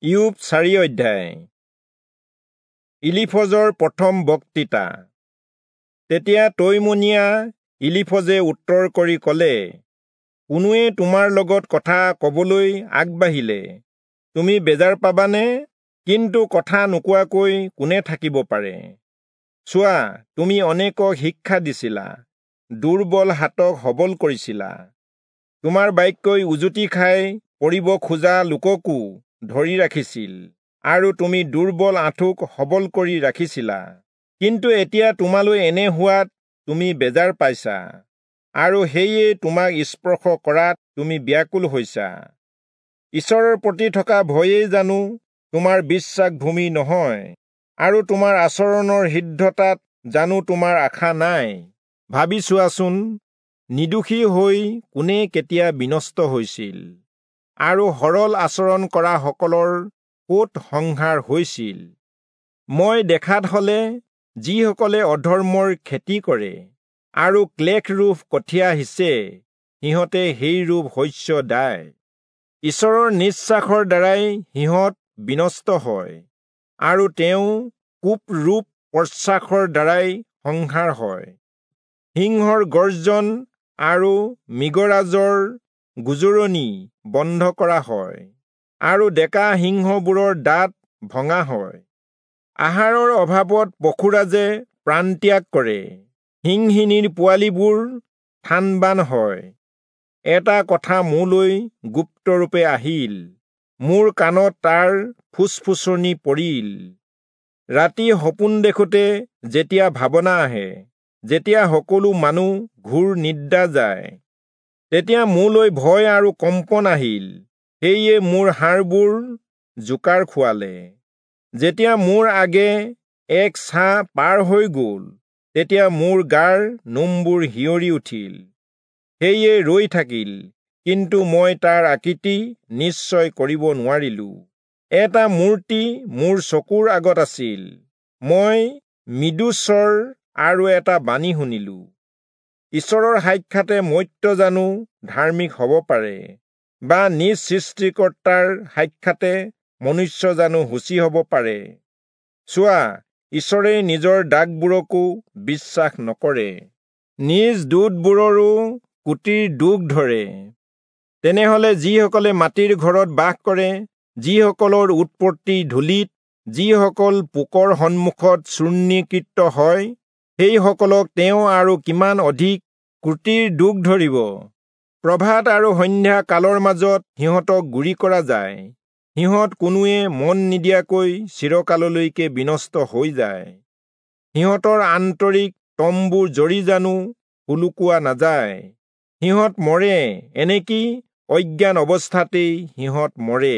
ইয়োব 4 অধ্যায়। ইলিফজৰ প্ৰথম বক্তৃতা। তেতিয়া তৈমনীয়া ইলিফজে উত্তৰ কৰি ক'লে, কোনোৱে তোমাৰ লগত কথা কবলৈ আগবাঢ়িলে তুমি বেজাৰ পাবানে? কিন্তু কথা নোকোৱাকৈ কোনে থাকিব পাৰে? চোৱা, তুমি অনেকক শিক্ষা দিছিলা, দুৰ্বল হাতক সবল কৰিছিলা। তোমাৰ বাক্যই উজুতি খাই পৰিব খোজা লোককো ধৰি ৰাখিছিল, আৰু তুমি দুৰ্বল আঁঠুক সবল কৰি ৰাখিছিলা। কিন্তু এতিয়া তোমালৈ এনে হোৱাত তুমি বেজাৰ পাইছা, আৰু সেয়ে তোমাক স্পৰ্শ কৰাত তুমি ব্যাকুল হৈছা। ঈশ্বৰৰ প্ৰতি থকা ভয়েই জানো তোমাৰ বিশ্বাস ভূমি নহয়, আৰু তোমাৰ আচৰণৰ সিদ্ধতাত জানো তোমাৰ আশা নাই? ভাবি চোৱাচোন, নিৰ্দোষী হৈ কোনে কেতিয়া বিনষ্ট হৈছিল, আৰু সৰল আচৰণ কৰা সকলৰ ক'ত সংহাৰ হৈছিল? মই দেখাত হলে যিসকলে অধৰ্মৰ খেতি কৰে আৰু ক্লেশৰূপ কঠীয়া সিঁচে, সিহঁতে সেইৰূপ শস্য দায়। ঈশ্বৰৰ নিশ্বাসৰ দ্বাৰাই সিহঁত বিনষ্ট হয়, আৰু তেওঁ কোপৰূপ প্ৰশ্বাসৰ দ্বাৰাই সংহাৰ হয়। সিংহৰ গৰ্জন আৰু মৃগৰাজৰ গোজৰণি বন্ধ কৰা হয়, আৰু ডেকা সিংহবোৰৰ দাঁত ভঙা হয়। আহাৰৰ অভাৱত পশুৰাজে প্ৰাণত্যাগ কৰে, সিংহিনীৰ পোৱালিবোৰ থানবান হয়। এটা কথা মোলৈ গুপ্তৰূপে আহিল, মোৰ কাণত তাৰ ফুচফুচনি পৰিল। ৰাতি সপোন দেখোঁতে যেতিয়া ভাৱনা আহে, যেতিয়া সকলো মানুহ ঘোৰ নিদ্ৰা যায়, তেতিয়া মোলৈ ভয় আৰু কম্পন আহিল, সেয়ে মোৰ হাড়বোৰ জোকাৰ খুৱালে। যেতিয়া মোৰ আগে এক ছাঁ পাৰ হৈ গ'ল, তেতিয়া মোৰ গাৰ নোমবোৰ শিয়ৰি উঠিল, সেয়ে ৰৈ থাকিল, কিন্তু মই তাৰ আকৃতি নিশ্চয় কৰিব নোৱাৰিলো। এটা মূৰ্তি মোৰ চকুৰ আগত আছিল, মই মৃদুস্বৰ আৰু এটা বাণী শুনিলো। ঈশ্বৰৰ সাক্ষাতে মৰ্ত্য জানো ধাৰ্মিক হ'ব পাৰে, বা নিজ সৃষ্টিকৰ্তাৰ সাক্ষাতে মনুষ্য জানো শুচি হ'ব পাৰে? চোৱা, ঈশ্বৰে নিজৰ দাগবোৰকো বিশ্বাস নকৰে, নিজ দূতবোৰৰো কুটিৰ দুখ ধৰে। তেনেহলে যিসকলে মাটিৰ ঘৰত বাস কৰে, যিসকলৰ উৎপত্তি ধূলিত, যিসকল পোকৰ সন্মুখত চূৰ্ণীকৃত হয়, সেইসকলক তেওঁ আৰু কিমান অধিক ক্ৰুটিৰ দুখ ধৰিব। প্ৰভাত আৰু সন্ধ্যা কালৰ মাজত সিহঁতক গুৰি কৰা যায়, সিহঁত কোনোৱে মন নিদিয়াকৈ চিৰকাললৈকে বিনষ্ট হৈ যায়। সিহঁতৰ আন্তৰিক তম্বু জৰি জানো সোলোকোৱা নাযায়, সিহঁত মৰে, এনেকি অজ্ঞান অৱস্থাতেই সিহঁত মৰে।